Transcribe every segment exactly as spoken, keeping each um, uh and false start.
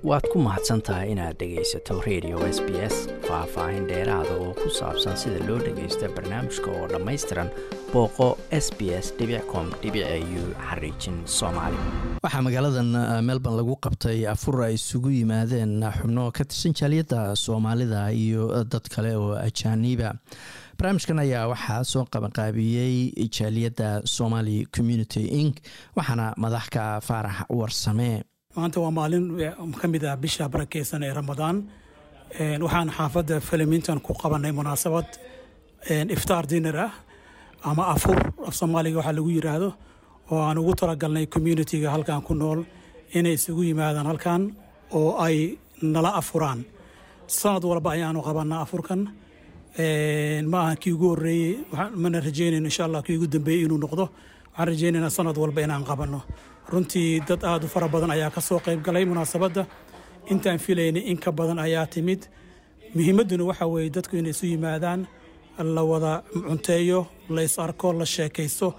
Waad ku mahadsan tahay inaad dhegaysato Radio S B S. Faah-faahin dheeraada oo ku saabsan sida loo dhagaysto barnaamijka oo dhammaystiran, booqo S B S com au xariijin Soomaali. Waxaa magaaladan Melbourne lagu qabtay afur ay isugu yimaadeen xubno ka tirsan jaaliyadda Soomaalida iyo dad kale oo ajaaniiba. Barnaamijkan ayaa waxaa soo qabanqaabiyey jaaliyadda Somali Community Inc, waxaana madax ka Faarax Warsame. Maanta waa maalin ka mid ah bisha barakeysan ee Ramadaan. Waxaan xaafadda Flemington ku qabanay munaasabad iftaar dinner ah ama afur af Soomaaliga waxaa lagu yiraahdo, oo aan ugu talagalnay community-ga halkan ku nool inay isugu yimaadaan halkan oo ay nala afuraan. Sanad walba ayaanu qabanaa afurkan. Ma aha kii ugu horreeyey, mana rajeynayno, insha Allah, kii ugu dambeeyey inuu noqdo. Waxaan rajeynaynaa sanad walba inaan qabanno. Runtii dad aada u fara badan ayaa ka soo qayb galay munaasabadda. Intaan filaynay in ka badan ayaa timid. Muhiimadduna waxaa weeye dadku inay isu yimaadaan, la wada cunteeyo, la is arko, la sheekaysto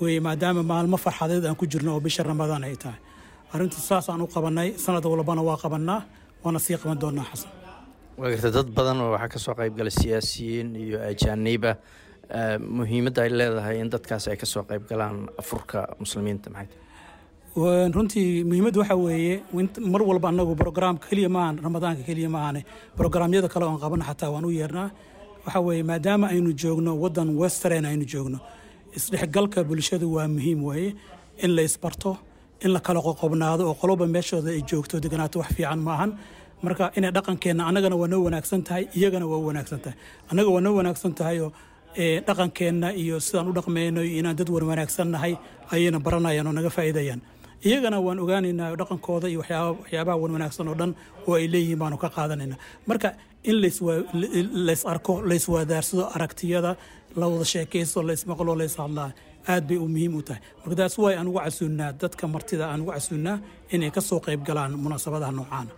weye, maadaama maalmo farxadeed aan ku jirno oo bisha Ramadaan ay tahay. Arrinta saasaan u qabannay, sanad walbana waa qabannaa, waana sii qaban doonaa, Xasan. Waa garta, dad badan oo waxaa kasoo qayb galay siyaasiyiin iyo ajaaniiba. Muhiimadda ay leedahay in dadkaas ay kasoo qayb galaan afurka muslimiinta maxay? Runtii muhiimaddu waxaa weeye, mar walba annagu program keliya maahan, Ramadaanka keliya maahane, programyada kale oon qabano xataa waan u yeernaa. Waxaa weeye, maadaama aynu joogno waddan western aynu joogno, isdhexgalka bulshadu waa muhiim weeye. In la isbarto, in la kala qoqobnaado oo qoloba meeshooda ay joogto deganaato, wax fiican maahan. Marka inay dhaqankeenna annagana waa noo wanaagsan tahay, iyagana waa u wanaagsan tahay. Annaga waa noo wanaagsan tahay oo dhaqankeenna iyo sidaan u dhaqmeyno iyo inaan dad wan wanaagsan nahay ayayna baranayaan oo naga faa'iidayaan. Iyagana waan ogaanaynaa dhaqankooda iyo waxyaabaha wan wanaagsan oo dhan oo ay leeyihiin baanu ka qaadanayna. Marka in lays arko, layswaadaarsado aragtiyada, la wada sheekaysto, laysmaqlo, lays hadlaa, aad bay u muhiim u tahay. Marka taas waay aan ugu casuunnaa dadka martida, aan ugu casuunnaa inay ka soo qayb galaan munaasabadaha noocaana.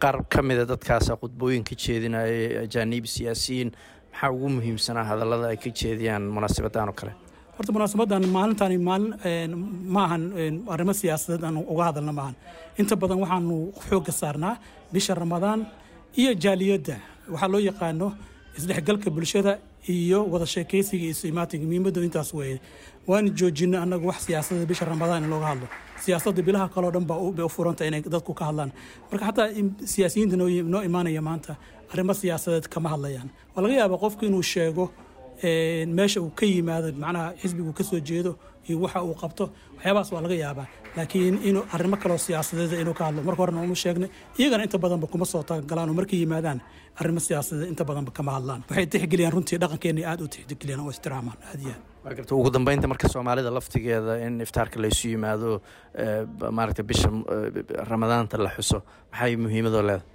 Qaar ka mida dadkaasa khudbooyin ka jeedinaya, ajaaniib, siyaasiyiin. Maxaa ugu muhiimsanaa hadallada ay ka jeediyaan munaasabadan oo kale? Horta munaasabadan maalintani maalin ma ahan arrimo siyaasadeed aan uga hadalna maahan. Inta badan waxaanu xoogga saarnaa bisha Ramadaan iyo jaaliyadda, waxaa loo yaqaano isdhexgalka bulshada iyo wada sheekaysiga iyo isu-imaatinka. Muhiimaddu intaas weeye. Waanu joojinay annagu wax siyaasadda bisha Ramadaan in looga hadlo. Siyaasadda bilaha kaleo dhan baa bay u furanta inay dadku ka hadlaan. Marka xataa siyaasiyiinta noo imaanaya maanta arrimo siyaasadeed kama hadlayaan. Waa laga yaabaa qofku inuu sheego meesha uu ka yimaado, macnaha xisbigu ka soo jeedo iyo waxa uu qabto, waxyaabahaas waa laga yaabaa, laakiin inuu arrimo kaloo siyaasadeed inuu ka hadlo marka horena uma sheegnay. Iyagana inta badanba kuma soo tagalaan oo markay yimaadaan arrimo siyaasadeed inta badanba kama hadlaan. Waxay tixgeliyaan runtii dhaqankeena, aad u tixgeliyaan oo ixtiraamaan aad iyo aad. Waa garta. Ugu dambeynta, marka Soomaalida laftigeeda in iftaarka laysu yimaado, maaragta bisha Ramadaanta la xuso, maxay muhiimadoo leedahay?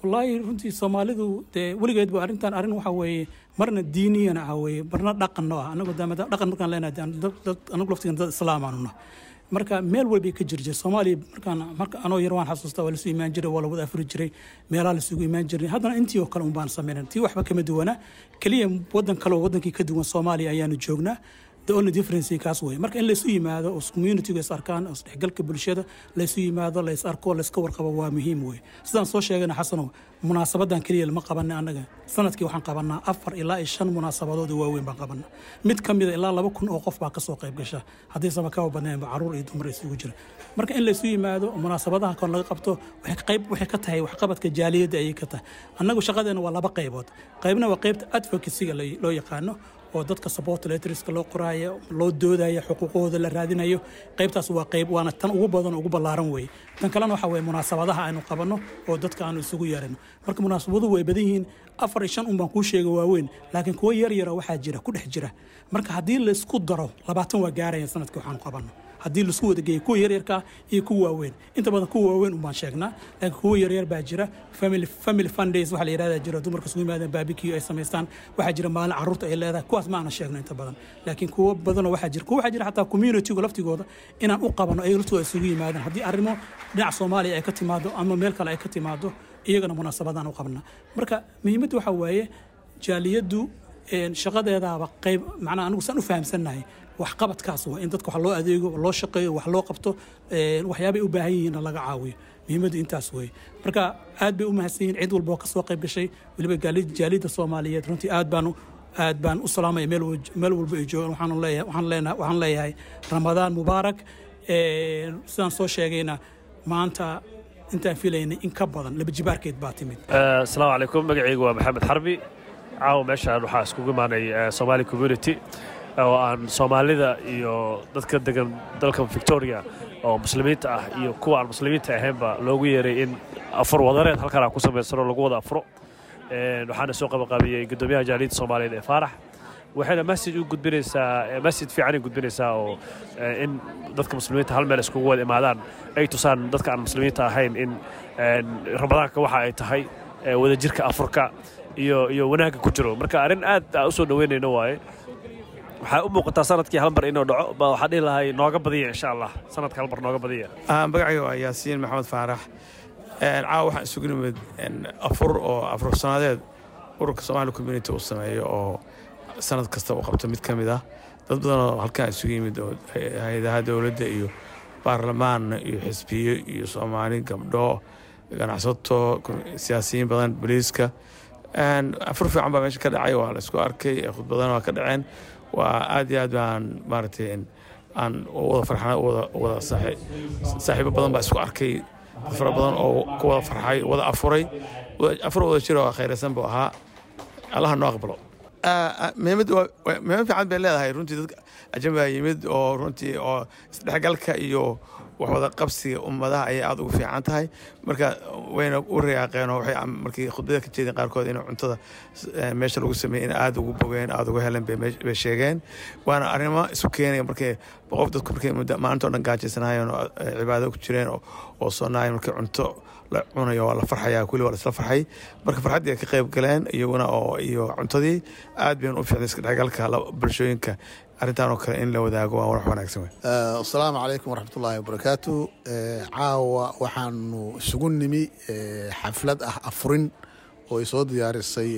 Wallaahi runtii Soomaalidu dee weligeed ba arrintan arrin waxaa weeye marna diiniyana ah weeye, marna dhaqan ah. Anagu dhaqan markaan leenahay, anagu laftigan dad Islaam aanu nahay. Marka meel walbay ka jir jir Soomaaliya. Markaan marka anoo yar waan xasuustaa, waa lasu imaan jiray, waa la wada afuri jiray, meelaha lasugu imaan jiray. Haddana intii oo kale un baan samaynan, tii waxba kama duwana. Keliya waddan kale oo waddankii ka duwan Soomaaliya ayaanu joognaa. The only difference kaas wey. Marka in laysu yimaado oo community-ga is arkaan oo isdhexgalka bulshada laysu yimaado, lays arko, layska warqabo, waa muhiim wey. Sidaan soo sheegayna, Xasanow, munaasabadan keliya lama qabana annaga. Sanadkii waxaan qabanaa afar ilaa iyo shan munaasabadood oo waaweyn baan qabanaa. Mid ka mida ilaa laba kun oo qof baa kasoo qayb gasha, haddiisaba kaba badnaynba, caruur iyo dumar isugu jira. Marka in laysu yimaado, munaasabadaha kon laga qabto, waxay qayb waxay ka tahay waxqabadka jaaliyadda ayay ka tahay. Annagu shaqadeena waa laba qaybood. Qaybna waa qaybta advocacy-ga loo yaqaano oo dadka support letters-ka loo qoraayo, loo doodayo, xuquuqahooda la raadinayo. Qaybtaas waa qayb, waana tan ugu badan, ugu ballaaran weeye. Tan kalena waxa weeye munaasabadaha aynu qabanno oo dadka aanu isugu yeerano. Marka munaasabaduhu way badan yihiin. Afar iyo shan un baan kuu sheega waaweyn, laakiin kuwo yar yara waxaa jira ku dhex jira. Marka haddii laysku daro, labaatan waa gaarayaan sanadkii waxaanu qabanno, haddii laisku wada geeyo kuwa yaryarka iyo kuwa waaweyn. Inta badan kuwa waaweyn un baan sheegnaa, laakiin kuwa yaryar baa jira. family family fun days waxaa la yidhahdaa jira, dumarka isugu yimaadaan, barbecue ay samaystaan. Waxaa jira maalin carruurta ay leedahay. Kuwaas ma aana sheegno inta badan, laakiin kuwo badanoo waxaa jira, kuwa waxaa jira xataa community-gu laftigooda inaan u qabano, ay laftooda isugu yimaadaan haddii arrimo dhinaca Soomaaliya ay ka timaado ama meel kale ay ka timaado, iyagana munaasabadaan u qabnaa. Marka muhiimadda waxaa waaye jaaliyaddu shaqadeedaaba qayb, macnaha anigu saan u fahamsannahay, Waxqabadkaas waa in dadka wax loo adeego, loo shaqeeyo, wax loo qabto, waxyaabay u baahan yihiinna laga caawiyo. Muhiimaddu intaas weeye. Marka aad bay u mahadsan yihiin cid walba oo kasoo qayb gashay, weliba jaaliyadda Soomaaliyeed. Runtii aad baanu aad baan u salaamaya meel meel walba ay joogaan. Waxaan leeyahay waxaan leenahay waxaan leeyahay Ramadaan mubaarak. Sidaan soo sheegayna, maanta intaan filaynay in ka badan laba jibaarkeed baa timid. Asalaamu calaykum. Magacaygu waa Maxamed Xarbi. Caawa meeshaan waxaa iskugu imaanay Somali community oo aan Soomaalida iyo dadka degan dalka Victoria oo Muslimiinta ah iyo kuwa aan Muslimiinta ahaynba loogu yeeray in afur wadareed halkan aan ku samaysano, lagu wada afuro. Waxaana soo qabaqaabiyey guddoomiyaha jaaliyadda Soomaaliyeed ee Faarax. Waxayna message u gudbinaysaa, message fiican gudbinaysaa oo in dadka Muslimiinta hal meel iskugu wada imaadaan, ay tusaan dadka aan Muslimiinta ahayn in Ramadaanka waxa ay tahay wadajirka, afurka iyo iyo wanaagga ku jiro. Marka arrin aad aan usoo dhaweynayno waaye. Waxaa u muuqataa sanadkii hal mar inuu dhaco ba. Waxaa dhihi lahay nooga badiya, insha Allah, sanadka hal mar nooga badiya. Magacayga waa Yaasiin Maxamed Faarax. Caawa waxaan isugu nimid afur oo afur sanadeed ururka Somali Community uu sameeyo oo sanad kasta uu qabto mid ka mid ah. Dad badan oo halkan isugu yimid oo hay-adaha dowladda iyo baarlamaan iyo xisbiyo iyo Soomaali, gabdho, ganacsato, siyaasiyiin badan, booliiska. Afur fiican baa meesha ka dhacay. Waa la isku arkay, khudbadana waa ka dhaceen. Waa aad iyo aad baan maaragtay aan wada farxnay, wada wada saaxiibo badan baa isku arkay, dad fara badan oo ku wada farxay, wada afuray. Afur wada jiro oo khayraysan buu ahaa. Allaha noo aqbalo. Muhiimad muhiimad fiican bay leedahay runtii. Dadka ajnabiga yimid oo runtii oo isdhexgalka iyo wax wada qabsiga ummadaha ayay aada ugu fiican tahay. Marka wayna u riyaaqeen oo waxay markii khudbada ka jeedeen qaarkood in cuntada meesha lagu sameeyey in aada ugu bogeen, aada uga heleen bay sheegeen. Waana arrimo isu keenaya markay qof dadku markay muddo maalinta o dhan gaajaysanayeen oo cibaado ku jireen oo soonaayeen, markii cunto la cunayo waa la farxayaa, kulli waa la isla farxay. Marka farxaddii ay ka qayb galeen iyaguna oo iyo cuntadii aad baynu u fiicnay. Iska dhexgalka bulshooyinka arrintan oo kale in la wadaago waa wax wanaagsan wey. Asalaamu calaykum waraxmatullaahi wabarakaatu. Caawa waxaanu isugu nimi xaflad ah afurin oo ay soo diyaarisay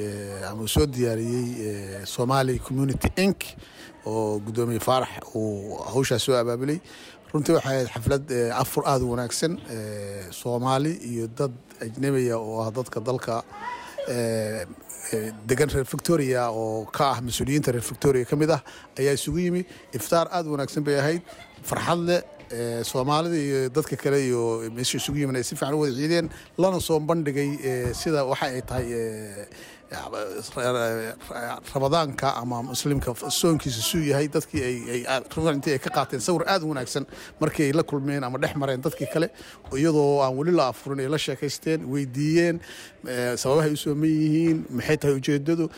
ama uu soo diyaariyey Somali Community Inc oo guddoomiye Faarax uu hawshaas soo abaabulay. Runtii waxay ahayd xaflad afur aada u wanaagsan. Soomaali iyo dad ajnebiya oo ah dadka dalka degan reer Victoria oo ka ah mas-uuliyiinta reer Victoria ka mid ah ayaa isugu yimi. Iftaar aada u wanaagsan bay ahayd, farxad leh. Soomaalida iyo dadka kale iyo meesha isugu yimin ay si fiican u wada ciideen, lana soo bandhigay sida waxa ay tahay Ramadaanka ama Muslimka soonkiisa suu yahay. Dadkii ay runtii ay ka qaateen sawir aad u wanaagsan markii ay la kulmeen ama dhex mareen dadkii kale, iyadoo aan weli la afurin, ay la sheekaysteen, weydiiyeen sababahay u sooman yihiin, maxay tahay ujeedadu.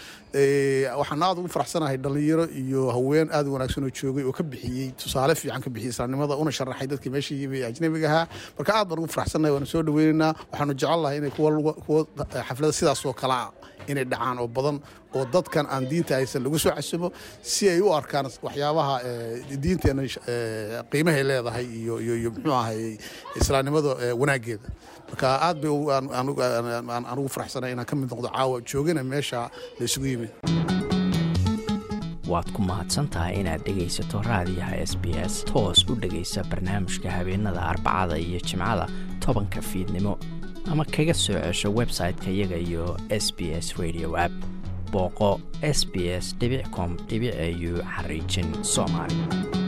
Waxaan aad ugu faraxsanahay dhalinyaro iyo haween aad u wanaagsan oo joogay oo ka bixiyey tusaale fiican, ka bixiyey islaamnimada, una sharaxay dadkii meesha yimi ee ajnabiga ahaa. Marka aad baan ugu faraxsanahay, waana soo dhaweynaynaa. Waxaanu jecel lahay inay kuwa kuwa xaflada sidaas oo kale ah inay dhacaan oo badan, oo dadkan aan diinta haysan lagu soo casumo si ay u arkaan waxyaabaha diinteena qiimahay leedahay iyo iyo iyo muxuu ahay islaamnimada wanaaggeeda. Marka aad bay aan ugu faraxsanahay inaan ka mid noqdo caawa joogana meesha la isugu yimid. Waad ku mahadsantahay inaad dhegaysato raadiyaha S B S. Toos u dhegaysa barnaamijka habeenada Arbacada iyo Jimcada tobanka fiidnimo, ama kaga soo cesho website-ka iyaga iyo S B S Radio app. Booqo S B S com au xariijin Soomaali.